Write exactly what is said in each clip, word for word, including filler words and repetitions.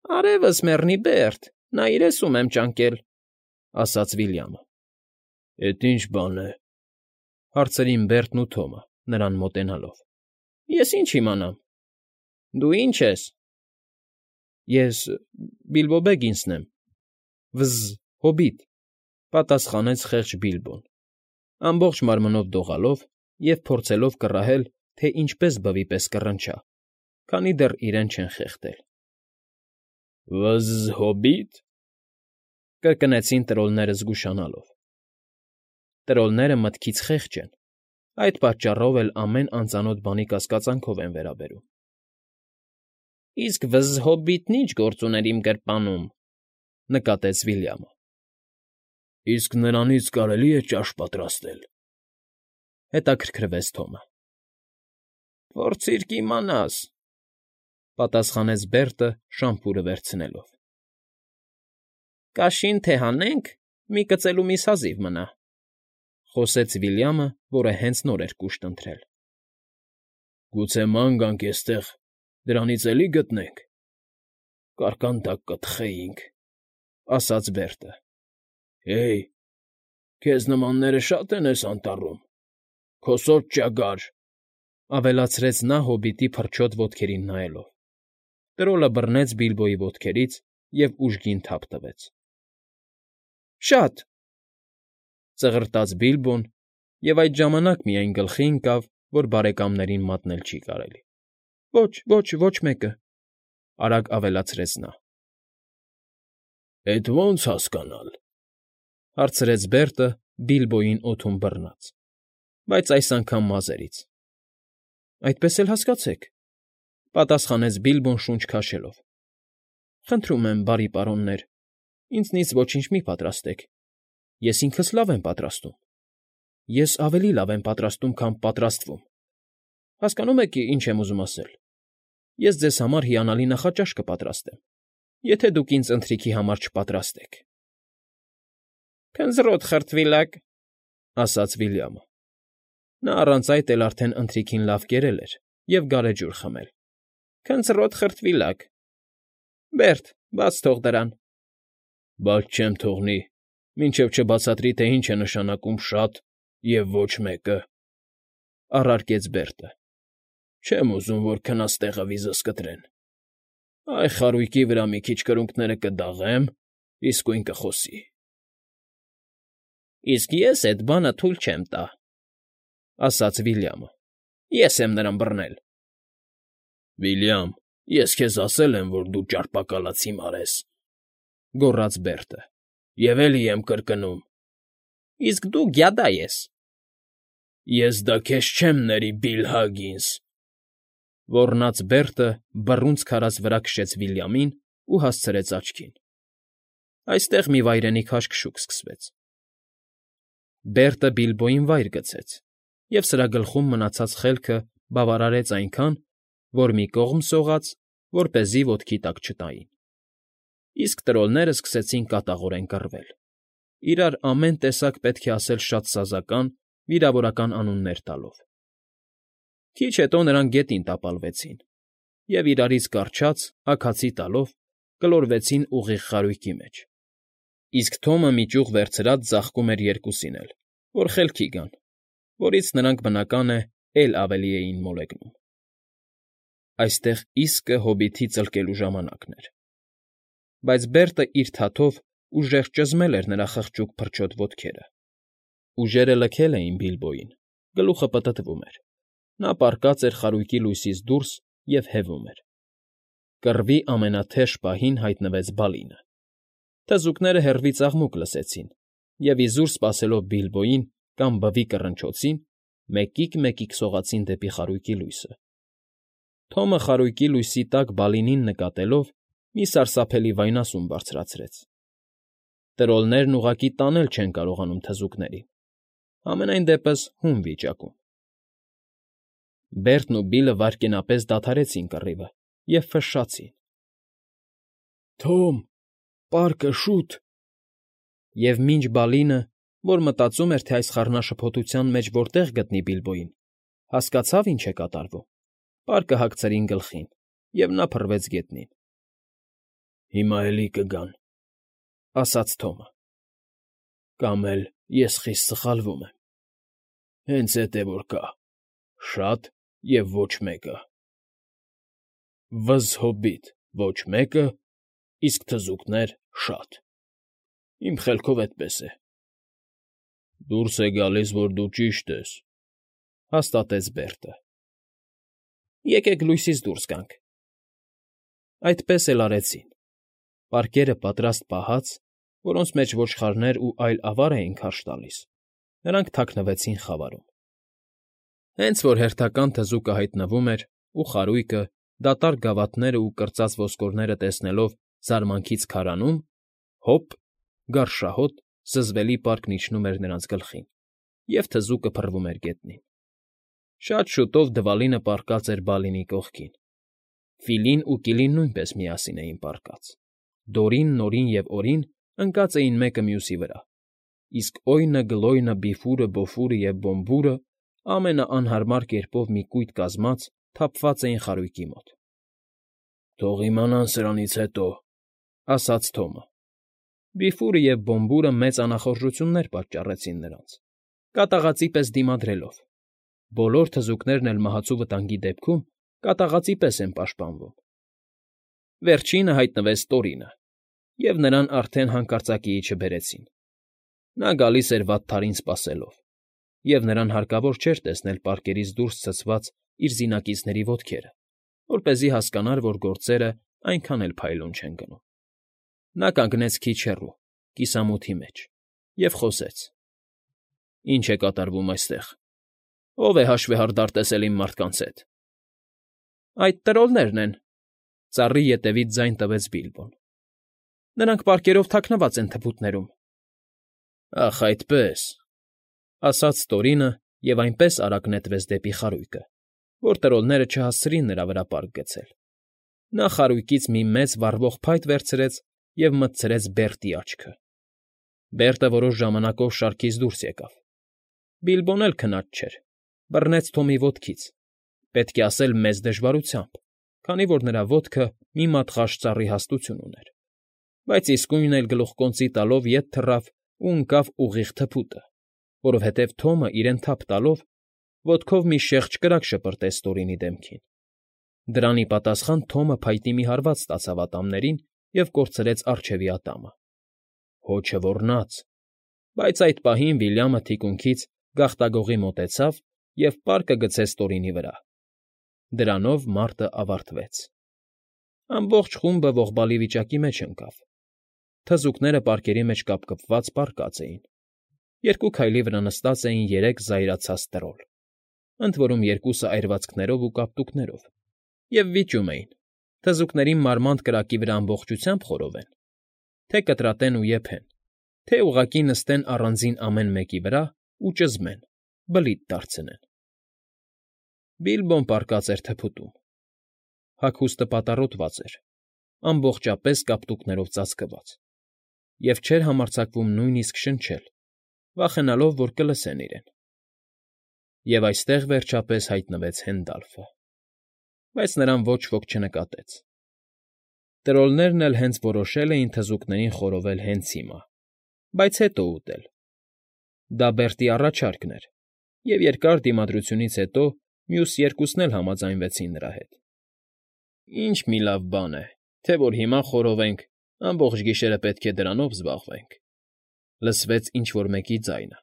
Արևս մեռնի, Բերտ, նայիր էս ում եմ ճանկել, ֊ ասաց Վիլյամը։ ֊ Էդ ի՞նչ բան է,֊ հարցրին Բերտն ու Թոմը, նրան մոտենալով։ ֊ Ես ինչ իմանամ։ Դու ի՞նչ ես։ ֊ Ես Բիլբո Բեգինսն եմ, վզզ, հոբիտ,֊ պատասխանեց խեղճ Բիլբոն, ամբողջ մարմնով դողալով և փորձելով կռահել, թե ինչպես բվի պես կռնչա, քանի դեռ իրեն չեն խեղդել։ ֊ Վզզ, հոբի՞տ,֊ կրկնեցին տրոլները զգուշանալով։ Տրոլները մտքից խեղճ են, այդ պատճառով էլ ամեն անծանոթ բանի կասկածանքով են վերաբերում։ ֊ Իսկ վզզ հոբիտն ի՞նչ գործ ուներ իմ գրպանում,֊ նկատեց Վիլյամը։ ֊ Իսկ նրանից կարելի՞ է ճաշ պատրաստել,֊ հետաքրքրվեց Թոմը։ ֊ Փորձիր կիմանաս,֊ պատասխանեց Բերտը՝ շամփուրը վերցնելով։ ֊ Կաշին թե հանենք, մի կծելու միս հազիվ մնա,֊ խոսեց Վիլյամը, որը հենց նոր էր կուշտ ընթրել։ ֊ Գուցե ման գանք էստեղ, դրանից էլի գտնենք, կարկանդակ կթխեինք,֊ ասաց Բերտը։ ֊ Հեյ, քեզ նմանները շա՞տ են էս անտառում, քոսոտ ճագար,֊ ավելացրեց նա հոբիտի փրչոտ ոտքերին նայելով։ Տրոլը բռնեց Բիլբոյի ոտքերից և ուժգին թափ տվեց։ ֊ Շա՜տ,֊ ծղրտաց Բիլբոն և այդ ժամանակ միայն գլխի ընկավ, որ բարեկամներին մատնել չի կարելի։ ֊ Ոչ, ոչ, ոչ մեկը,֊ արագ ավելացրեց նա։ ֊ Էդ ո՞նց հասկանալ,֊ հարցրեց Բերտը՝ Բիլբոյին օդում բռնած, բայց այս անգամ մազերից։ ֊ Այդպես էլ հասկացեք,֊ պատասխանեց Բիլբոն շունչ քաշելով։ ֊ Խնդրում եմ, բարի պարոններ, ինձնից ոչինչ մի՛ պատրաստեք, ես ինքս լավ եմ պատրաստում, ես ավելի լավ եմ պատրաստում, քան պատրաստվում, հասկանո՞ւմ եք ինչ եմ ուզում ասել. ես ձեզ համար հիանալի նախաճաշ կպատրաստեմ, եթե դուք ինձ ընթրիքի համար չպատրաստեք։ ֊ Քնձռոտ խրտվիլակ,֊ ասաց Վիլյամը։ Նա առանց այդ էլ արդեն ընթրիքին լավ կերել էր և գարեջուր խմել։ ֊ Քնձռոտ խրտվիլակ… Բերտ, բաց թող դրան։ ֊ Բաց չեմ թողնի, մինչև չբացատրի, թե ինչ է նշանակում շատ և ոչ մեկը,֊ առարկեց Բերտը։ ֊ Չեմ ուզում, որ քնած տեղը վիզս կտրեն։ Այ խարույկի վրա մի քիչ կրունկները կդաղեմ, իսկույն կխոսի։ ֊ Իսկ ես էդ բանը թույլ չեմ տա,֊ ասաց Վիլյամը։ ֊ Ես եմ նրան բռնել։ ֊ Վիլյամ, ես քեզ ասել եմ, որ դու ճարպակալած հիմար ես,֊ գոռաց Բերտը,֊ և էլի եմ կրկնում։ ֊ Իսկ դու գյադա ես։ ֊ Ես դա քեզ չեմ ների, Բիլ Հագինս,֊ ոռնաց Բերտը, բռունցք քարած վրա քշեց Վիլյամին ու հասցրեց աչքին։ Այստեղ մի վայրենի քաշքշուկ սկսվեց։ Բերտը Բիլբոյին վայր գցեց, և սրա գլխում մնացած խելքը բավարարեց այնքան, որ մի կողմ սողաց, որպեսզի ոտքի տակ չտային։ Իսկ տրոլներն սկսեցին կատաղորեն կռվել, իրար ամեն տեսակ պետք է ասել շատ սազական, վիրավորական անուններ տալով։ Քիչ հետո նրանք գետին տապալվեցին և, իրարից կառչած, աքացի տալով, գլորվեցին ուղիղ խարույկի մեջ, իսկ Թոմը մի ճյուղ վերցրած ձաղկում էր երկուսին էլ, որ խելքի գան, որից նրանք, բնական է, էլ ավելի էին մոլեգնում։ Այստեղ իսկը հոբիտի ծլկելու ժամանակն էր։ Բայց Բերտը իր թաթով ուժեղ ճզմել էր նրա խղճուկ փրչոտ ոտքերը։ Ուժերը լքել էին Բիլբոյին, գլուխը պտտվում էր, նա պառկած էր խարույկի լույսից դուրս և հևում էր։ Կռվի ամենաթեժ պահին հայտնվեց Բալինը։ Թզուկները հեռվից աղմուկ լսեցին և, իզուր սպասելով Բիլբոյին կամ բվի կռնչոցին, մեկիկ֊մեկիկ սողացին դեպի խարույկի լույսը։ Թոմը խարույկի լույսի տակ Բալինին նկատելով, մի սարսափելի վայնասուն բարձրացրեց։ Տրոլներն ուղղակի տանել չեն կարողանում թզուկներին, համենայն դեպս հում վիճակում։ Բերտն ու Բիլլը վայրկենապես դադարեցին կռիվը և ֆշշացին. «Թոմ, պարկը, շուտ…» Եվ մինչ Բալինը, որ մտածում էր, թե այս խառնաշփոթության մեջ որտեղ գտնի Բիլբոյին, հասկացավ ինչ է կատարվում, պարկը հագցրին գլխին, և նա փռվեց գետնին։ Հիմա էլի կգան, ֊ ասաց Թոմը։ Կամ էլ ես խիստ սխալվում եմ, հենց էդ է որ կա՝ շատ և ոչ մեկը։ Վզզհոբիտ՝ ոչ մեկը, իսկ թզուկներ՝ շատ, իմ խելքով էդպես է։ ֊ Դուրս է գալիս, որ դու ճիշտ ես, ֊ հաստատեց Բերտը։ ֊ Եկեք լույսից դուրս գանք։ Այդպես էլ արեցին։ Պարկերը պատրաստ պահած, որոնց մեջ ոչխարներ ու այլ ավար էին քարշ տալիս, նրանք թաքնվեցին խավարում։ Հենց որ հերթական թզուկը հայտնվում էր ու խարույկը, դատարկ գավաթներն ու կրծած ոսկորները տեսնելով զարմանքից քարանում, հոպ, գարշահոտ, զզվելի պարկն իջնում էր նրանց գլխին, և թզուկը փռվում էր գետնին։ Շատ շուտով Դվալինը պառկած էր Բալինի կողքին։ Ֆիլին ու Կիլին նույնպես միասին էին պառկած։ Դորին, Նորին և Օրին ընկած էին մեկը մյուսի վրա, իսկ Օյնը, Գլոյնը, Բիֆուրը, Բոֆուրը և Բոմբուրը ամենաանհարմար կերպով մի կույտ կազմած թափված էին խարույկի մոտ։ ֊ Թող իմանան սրանից հետո, ֊ ասաց Թոմը։ Բիֆուրը և Բոմբուրը մեծ անախորժություններ պատճառեցին նրանց, կատաղածի պես դիմադրելով։ Բոլոր թզուկներն էլ մահացու վտանգի դեպքում կատաղածի պես են պաշտպանվում։ Վերջինը հայտնվեց Տորինը, և նրան արդեն հանկարծակիի չբերեցին։ Նա գալիս էր վատթարին սպասելով, և նրան հարկավոր չէր տեսնել պարկերից դուրս ցցված իր զինակիցների ոտքերը, որպեսզի հասկանար, որ գործերն այնքան էլ փայլուն չեն գնում։ Նա կանգնեց քիչ հեռու, կիսամութի մեջ, և խոսեց. ֊ Ի՞նչ է կատարվում այստեղ։ Ո՞վ է հաշվեհարդար տեսել իմ մարդկանց հետ։ ֊ Այդ տրոլներն են, ֊ ծառի ետևից ձայն տվեց Բիլբոն։ ֊ Նրանք պարկերով թաքնված են թփուտներում։ ֊ Ախ, այդպե՜ս, ֊ ասաց Տորինը և այնպես արագ նետվեց դեպի խարույկը, որ տրոլները չհասցրին նրա վրա պարկ գցել։ Նա խարույկից մի մեծ վառվող փայտ վերցրեց և մտցրեց Բերտի աչքը։ Բերտը որոշ ժամանակով շարքից դուրս եկավ։ Բիլբոն էլ քնած չէր, բռնեց Թոմի ոտքից, պետք է ասել մեծ դժվարությամբ, քանի որ նրա ոտքը մի մատղաշ ծառի հաստություն ուներ, բայց իսկույն էլ գլուխկոնծի տալով ետ թռավ ու ընկավ ուղիղ թփուտը, որովհետև Թոմը, իրեն թափ տալով, ոտքով մի շեղջ կրակ շպրտեց Տորինի դեմքին։ Դրան ի պատասխան Թոմը փայտի մի հարված ստացավ ատամներին և կորցրեց առջևի ատամը։ Հոչը ոռնաց, բայց այդ պահին Վիլյամը թիկունքից գաղտագողի մոտեցավ և պարկը գցեց Տորինի վրա։ Դրանով մարտն ավարտվեց։ Ամբողջ խումբը ողբալի վիճակի մեջ ընկավ։ Թզուկները պարկերի մեջ կապկպված պառկած էին։ Երկու քայլի վրա նստած էին երեք զայրացած տրոլ, ընդ որում երկուսը այրվածքներով ու կապտուկներով, և վիճում էին՝ թզուկներին մարմանդ կրակի վրա ամբողջությամբ խորովեն, թե կտրատեն ու եփեն, թե ուղղակի նստեն առանձին ամեն մեկի վրա ու ճզմեն, բլիթ դարձնեն։ Բիլբոն պառկած էր թփուտում։ Հագուստը պատառոտված էր, ամբողջապես կապտուկներով ծածկված, և չէր համարձակվում նույնիսկ շնչել, վախենալով, որ կլսեն իրեն։ Եվ այստեղ, վերջապես, հայտնվեց Հենդալֆը, բայց նրան ոչ ոք չնկատեց։ Տրոլներն էլ հենց որոշել էին թզուկներին խորովել հենց հիմա, բայց հետո ուտել։ Դա Բերտի առաջարկն էր, և երկար դիմադրությունից հետո մյուս երկուսն էլ համաձայնվեցին նրա հետ։ ֊ Ինչ մի լավ բան է, թե որ հիմա խորովենք, ամբողջ գիշերը պետք է դրանով զբաղվենք, ֊ լսվեց ինչ֊որ մեկի ձայնը։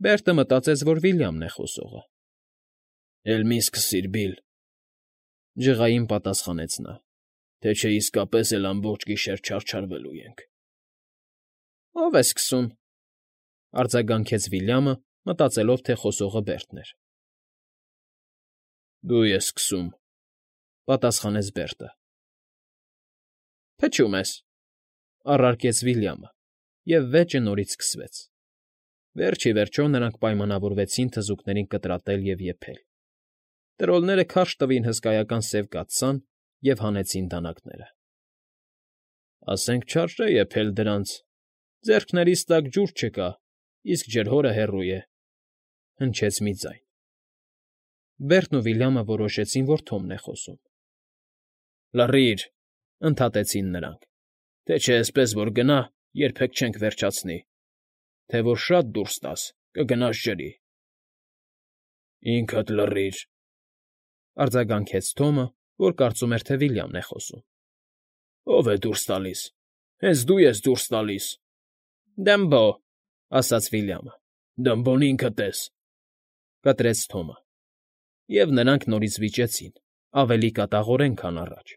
Բերտը մտածեց, որ Վիլյամն է խոսողը։ ֊ Էլ մի՛ սկսիր, Բիլ, ֊ ջղային պատասխանեց նա, թե չէ իսկապես էլ ամբողջ գիշեր չարչարվելու ենք։ ֊ Ո՞վ է սկսում, ֊ արձագանքեց Վիլյամը, մտածելով, թե խոսողը Բերտն էր։ ֊ Դու ես սկսում, ֊ պատասխանեց Բերտը։ ֊ Փչում ես, ֊ առարկեց Վիլյամը, և վեճը նորից սկսվեց։ Վերջ ի վերջո նրանք պայմանավորվեցին թզուկներին կտրատել և եփել։ Տրոլները քարշ տվին հսկայական սև կաթսան և հանեցին դանակները։ ֊ Ասենք չարժե եփել դրանց, ձեռքներիս տակ ջուր չկա, իսկ ջրհորը հեռու է, ֊ հնչեց մի ձայն։ Բերտն ու Վիլյամը որոշեցին, որ Թոմն է խոսում։ ֊ Լռի՛ր, ընդհատեցին նրանք, թե չէ էսպես որ գնա, երբեք չենք վերջացնի, թե որ շատ դուրս տաս, կգնաս ջրի։ ֊ Ինքդ լռիր,֊ արձագանքեց Թոմը, որ կարծում էր, թե Վիլյամն է խոսում։ ֊ Ո՞վ է դուրս տալիս։ Հենց դու ես դուրս տալիս։ ֊ Դմբո,֊ ասաց Վիլյամը։ ֊ Դմբոն ինքդ ես,֊ կտրեց Թոմը։ Եվ նրանք նորից վիճեցին, ավելի կատաղորեն, քան առաջ,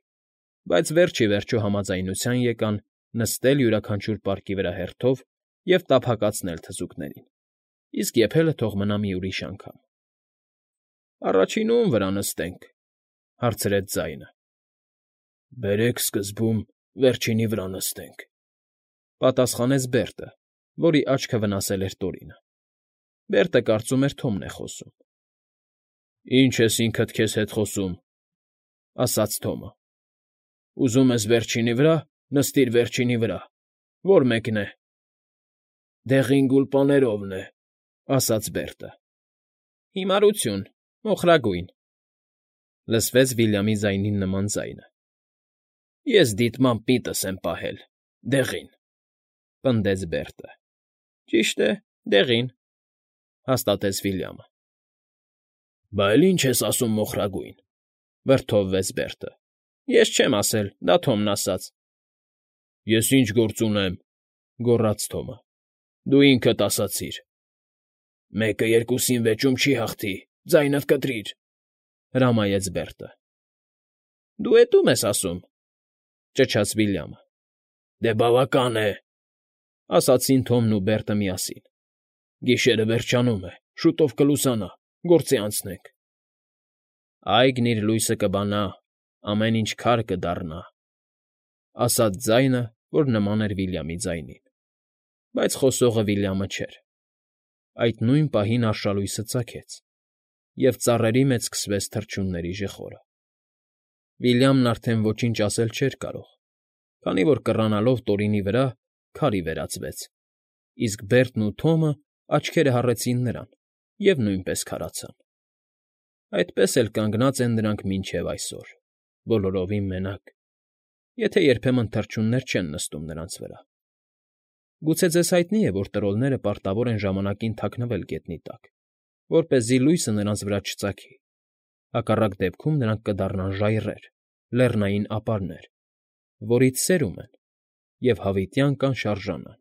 բայց վերջ ի վերջո համաձայնության եկան նստել յուրաքանչյուր պարկի վրա հերթով և տափակացնել թզուկներին, իսկ եփելը թող մնա մի ուրիշ անգամ։ ֊ Առաջինը ո՞ւմ վրա նստենք,֊ հարցրեց ձայնը։ ֊ Բերեք սկզբում վերջինի վրա նստենք,֊ պատասխանեց Բերտը, որի աչքը վնասել էր Տորինը։ Բերտը կարծում էր Թոմն է խոսում։ ֊ Ի՞նչ ես ինքդ քեզ հետ խոսում,֊ ասաց Թոմը։ ֊ Ուզում ես վերջինի վրա, նստիր վերջինի վրա, ո՞ր մեկն է։ ֊ Դեղին գուլպաներովն է,֊ ասաց Բերտը։ ֊ Հիմարություն, մոխրագույն,֊ լսվեց Վիլյամի ձայնին նման ձայնը։ ֊ Ես դիտմամբ միտս եմ պահել՝ դեղին,֊ պնդեց Բերտը։ ֊ Ճիշտ է, դեղին,֊ հաստատեց Վիլյամը։ ֊ Բա էլ ի՞նչ ես ասում մոխրագույն,֊ վրդովվեց Բերտը։ ֊ Ես չեմ ասել, դա Թոմն ասաց։ ֊ Ես ինչ գործ ունեմ,֊ գոռաց Թոմը։ ֊ Դու ինքդ ասացիր։ ֊ Մեկը երկուսին վեճում չի հաղթի, ձայնդ կտրիր,֊ հրամայեց Բերտը։ ֊ Դու էդ ո՞ւմ ես ասում,֊ ճչաց Վիլյամը։ ֊ Դե բավական է,֊ ասացին Թոմն ու Բերտը միասին։ ֊ Գիշերը վերջանում է, շուտով կլուսանա, գործի անցնենք։ ֊ Այգին իր լույսը կբանա, ամեն ինչ քար կդառնա,֊ ասաց ձայնը, որ նման էր Վիլյամի ձայնին, բայց խոսողը Վիլյամը չէր։ Այդ նույն պահին արշալույսը ծագեց, և ծառերի մեջ սկսվեց թռչունների ժխորը։ Վիլյամն արդեն ոչինչ ասել չէր կարող, քանի որ կռանալով Տորինի վրա, քարի վերածվեց, իսկ Բերտն ու Թոմը աչքերը հառեցին նրան և նույնպես քարացան։ Այդպես էլ կանգնած են նրանք մինչև այսօր, բոլորովին մենակ, եթե երբեմն թռչուններ չեն նստում նրանց վրա։ Գուցե ձեզ հայտնի է, որ տրոլները պարտավոր են ժամանակին թաքնվել գետնի տակ, որպեսզի լույսը նրանց վրա չծագի, հակառակ դեպքում նրանք կդառնան ժայռեր, լեռնային ապարներ, որից սերում են և հավիտյան կանշարժանան։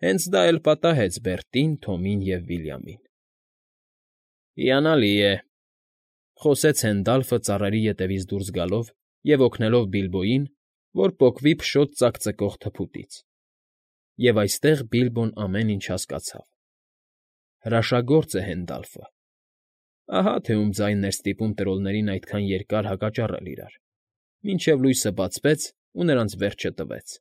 Հենց դա էլ պատահեց Բերտին, Թոմին և Վիլյամին։ ֊ Հիանալի է,֊ խոսեց Հենդալֆը ծառերի ետևից դուրս գալով և օգնելով Բիլբոյին, որ պոկվի փշոտ ծակծկող թփուտից։ Եվ այստեղ Բիլբոն ամեն ինչ հասկացավ։ Հրաշագործ է Հենդալֆը։ Ահա թե ում ձայնն էր ստիպում տրոլներին այդքան երկար հակճառել իրար, մինչև լույսը բացվեց ու նրանց վերջը տվեց։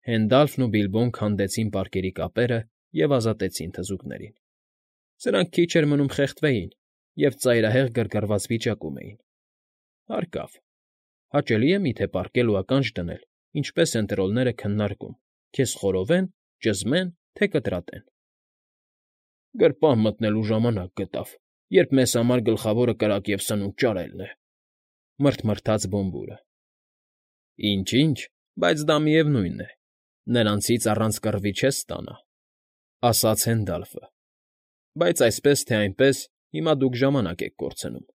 Հենդալֆն ու Բիլբոն քանդեցին պարկերի կապերը և ազատեցին թզուկներին։ Սրանք քիչ էր մնում խեղդվեին և ծայրահեղ գրգռված վիճակում էին։ Հարկավ, հաճելի է միթե պառկել ու ականջ դնել, ինչպես են տրոլները քննարկում՝ քեզ խորովեն, ճզմեն, թե կտրատեն։ ֊ Գրպան մտնելու ժամանակ գտավ, երբ մեզ համար գլխավորը կրակ և սնունդ ճարելն է,֊ մռթմռթաց Բոմբուրը։ ֊ Ինչ֊ինչ, բայց դա միևնույն է, նրանցից առանց կռվի չես ստանա,֊ ասաց Հենդալֆը,֊ բայց այսպես թե այնպես հիմա դուք ժամանակ եք կորցնում։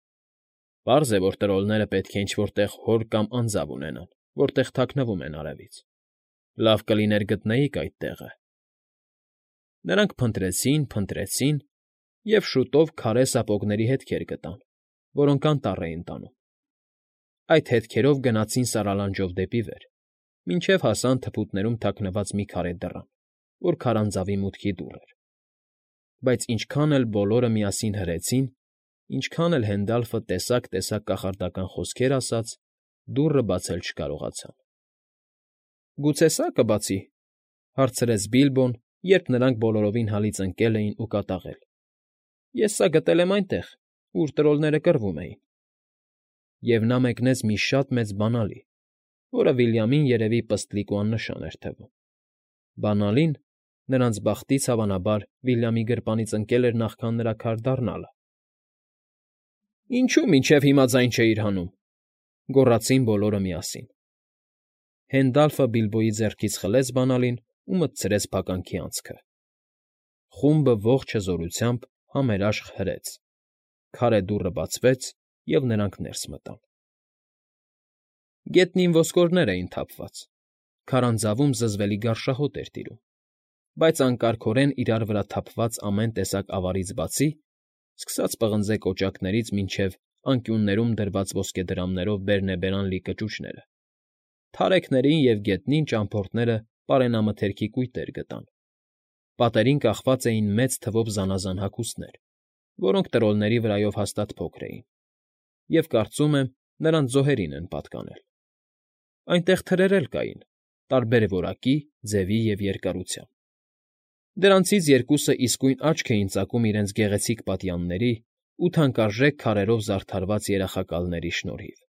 Պարզ է, որ տրոլները պետք է ինչ֊որ տեղ հոր կամ անձավ ունենան, որտեղ թաքնվում են արևից։ Լավ կլիներ գտնեիք այդ տեղը։ Նրանք փնտրեցին, փնտրեցին և շուտով քարե սապոգների հետքեր գտան, որոնք անտառ էին տանում։ Այդ հետքերով գնացին սարալանջով դեպի վեր, մինչև հասան թփուտներում թաքնված մի քարե դռան, որ քարանձավի մուտքի դուռ էր։ Բայց ինչքան էլ բոլորը միասին հրեցին, ինչքան էլ Հենդալֆը տեսակ֊տեսակ կախարդական խոսքեր ասաց, դուռը բացել չկարողացան։ ֊ Գուցե սա կբացի,֊ հարցրեց Բիլբոն, երբ նրանք բոլորովին հալից ընկել էին ու կատաղել։ ֊ Ես սա գտել եմ այնտեղ, ուր տրոլները կռվում էին։ Եվ նա մեկնեց մի շատ մեծ բանալի, որը Վիլյամին, երևի, պստլիկ ու աննշան էր թվում։ Բանալին, նրանց բախտից, հավանաբար, Վիլյամի գրպանից ընկել էր նախքան նրա քար դառնալը։ ֊ Ինչո՞ւ մինչև հիմա ձայն չէիր հանում,֊ գոռացին բոլորը միասին։ Հենդալֆը Բիլբոյի ձեռքից խլեց բանալին ու մտցրեց փականքի անցքը։ Խումբը ողջ հզորությամբ համերաշխ հրեց, քարե դուռը բացվեց, և նրանք ներս մտան։ Գետնին ոսկորներ էին թափված, քարանձավում զզվելի գարշահոտ էր տիրում, բայց անկարգորեն իրար վրա թափված ամեն տեսակ ավարից բացի, սկսած պղնձե կոճակներից մինչև անկյուններում դրված ոսկեդրամներով բերնեբերան լի կճուճները, թարեքներին և գետնին ճամփորդները պարենամթերքի կույտեր գտան։ Պատերին կախված էին մեծ թվով զանազան հագուստներ, որոնք տրոլների վրայով հաստատ փոքր էին, և, կարծում եմ, նրանց զոհերին են պատկանել։ Այնտեղ թրեր էլ կային, տարբեր որակի, ձևի և երկարության։ Դրանցից երկուսը իսկույն աչք էին ծակում իրենց գեղեցիկ պատյանների ու թանկարժեք քարերով զարդարված երախակալների շնորհիվ։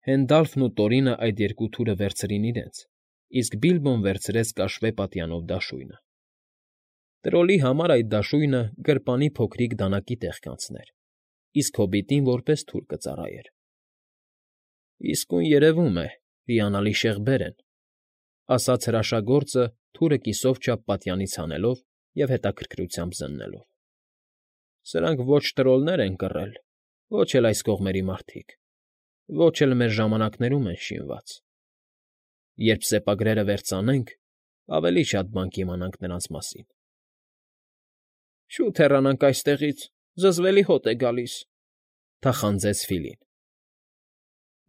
Հենդալֆն ու Տորինը այդ երկու թուրը վերցրին իրենց, իսկ Բիլբոն վերցրեց կաշվե պատյանով դաշույնը։ Տրոլի համար այդ դաշույնը գրպանի փոքրիկ դանակի տեղ կանցներ, իսկ հոբիտին որպես թուր կծառայեր։ ֊ Իսկույն երևում է, հիանալի շեղբեր են,֊ ասաց հրաշագործը թուրը կիսով չափ պատյանից հանելով և հետաքրքրությամբ զննելով։ ֊ Սրանք ոչ տրոլներ են կռել, ոչ էլ այս կողմերի մարդիկ, ոչ էլ մեր ժամանակներում են շինված։ Երբ սեպագրերը վերծանենք, ավելի շատ բան կիմանանք նրանց մասին։ ֊ Շուտ հեռանանք այստեղից, զզվելի հոտ է գալիս,֊ թախանձեց Ֆիլին։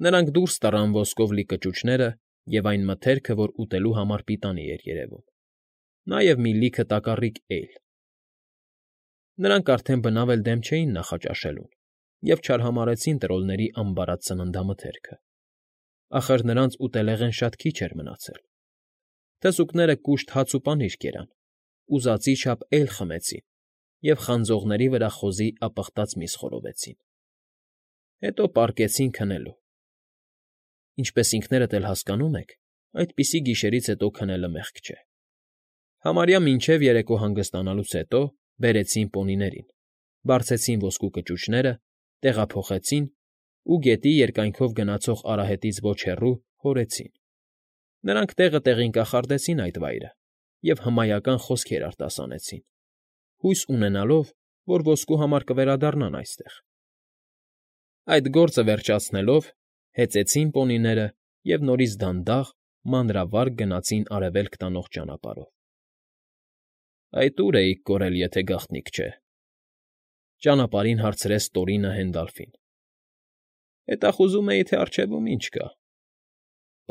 Նրանք դուրս տարան ոսկով լի կճուճները և այն մթերքը, որ ուտելու համար պիտանի էր երևում, նաև մի լիքը տակառիկ էյլ։ Նրանք արդեն բնավ էլ դեմ չէին նախաճաշելուն և չարհամարհեցին տրոլների ամբարած սննդամթերքը։ Ախր նրանց ուտելեղեն շատ քիչ էր մնացել։ Թզուկները կուշտ հաց ու պանիր կերան, ուզածի չափ էյլ խմեցին և խանձողների վրա խոզի ապխտած միս խորովեցին։ Հետո պառկեցին քնելու։ Ինչպես ինքներդ էլ հասկանում եք, այդպիսի գիշերից հետո քնելը մեղք չէ։ Համարյա մինչև երեկո հանգստանալուց հետո բերեցին պոնիներին, բարձեցին ոսկու կճուճները, տեղափոխեցին ու գետի երկայնքով գնացող արահետից ոչ հեռու հորեցին։ Նրանք տեղը տեղին կախարդեցին այդ վայրը և հմայական խոսքեր արտասանեցին, հույս ունենալով, որ ոսկու համար կվերադառնան այստեղ։ Այդ գործը վերջացնելով, հեծան պոնիները և նորից դանդաղ, մանրավարգ գնացին արևելք տանող ճանապարհով։ ֊ Այդ ո՞ւր էիք կորել, եթե գաղտնիք չէ,֊ ճանապարհին հարցրեց Տորինը Հենդալֆին։ ֊ Հետախուզում էի, թե առջևում ինչ կա,֊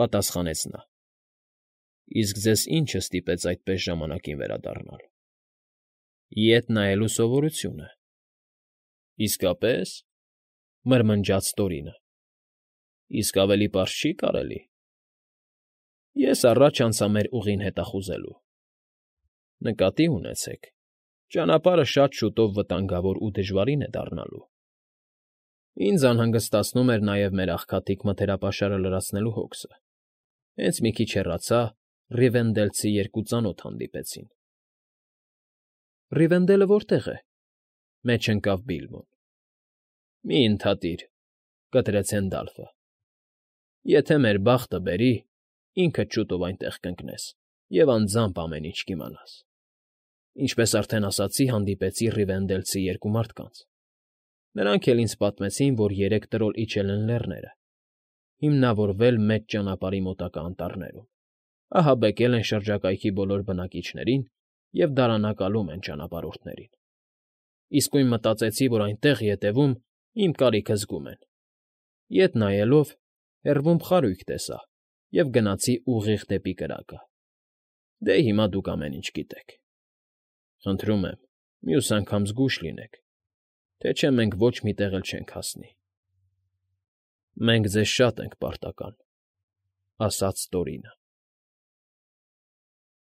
պատասխանեց նա։ ֊ Իսկ ձեզ ի՞նչը ստիպեց այդպես ժամանակին վերադառնալ։ ֊ Ետ նայելու սովորությունը։ ֊ Իսկապե՞ս,֊ մրմնջաց Տորինը։ ֊ Իսկ ավելի պարզ չի՞ կարելի։ ֊ Ես առաջ անցա մեր ուղին հետազոտելու։ Նկատի ունեցեք, ճանապարհը շատ շուտով վտանգավոր ու դժվարին է դառնալու։ Ինձ անհանգստացնում էր նաև մեր աղքատիկ մթերապաշարը լրացնելու հոգսը։ Հենց մի քիչ հեռացա, ռիվենդելցի երկու ծանոթ հանդիպեցին։ ֊ Ռիվենդելը որտե՞ղ է,֊ մեջ ընկավ Բիլբոն։ ֊ Մի՛ ընդհատիր,֊ կտրեց Հենդալֆը։ ֊ Եթե մեր բախտը բերի, ինքդ շուտով այնտեղ կընկնես և անձամբ ամեն ինչ կիմանաս։ Ինչպես արդեն ասացի, հանդիպեցի ռիվենդելցի երկու մարդկանց։ Նրանք էլ ինձ պատմեցին, որ երեք տրոլ իջել են լեռները, հիմնավորվել մեծ ճանապարհի մոտակա անտառներում, ահաբեկել են շրջակայքի բոլոր բնակիչներին և դարանակալում են ճանապարհորդներին։ Իսկույն մտածեցի, որ այնտեղ, ետևում, իմ կարիքը զգում են։ Ետ նայելով՝ հեռվում խարույկ տեսա և գնացի ուղիղ դեպի կրակը։ Դե հիմա դուք ամեն ինչ գիտեք։ Խնդրում եմ, մյուս անգամ զգույշ լինեք, թե չէ մենք ոչ մի տեղ էլ չենք հասնի։ ֊ Մենք ձեզ շատ ենք պարտական,֊ ասաց Տորինը։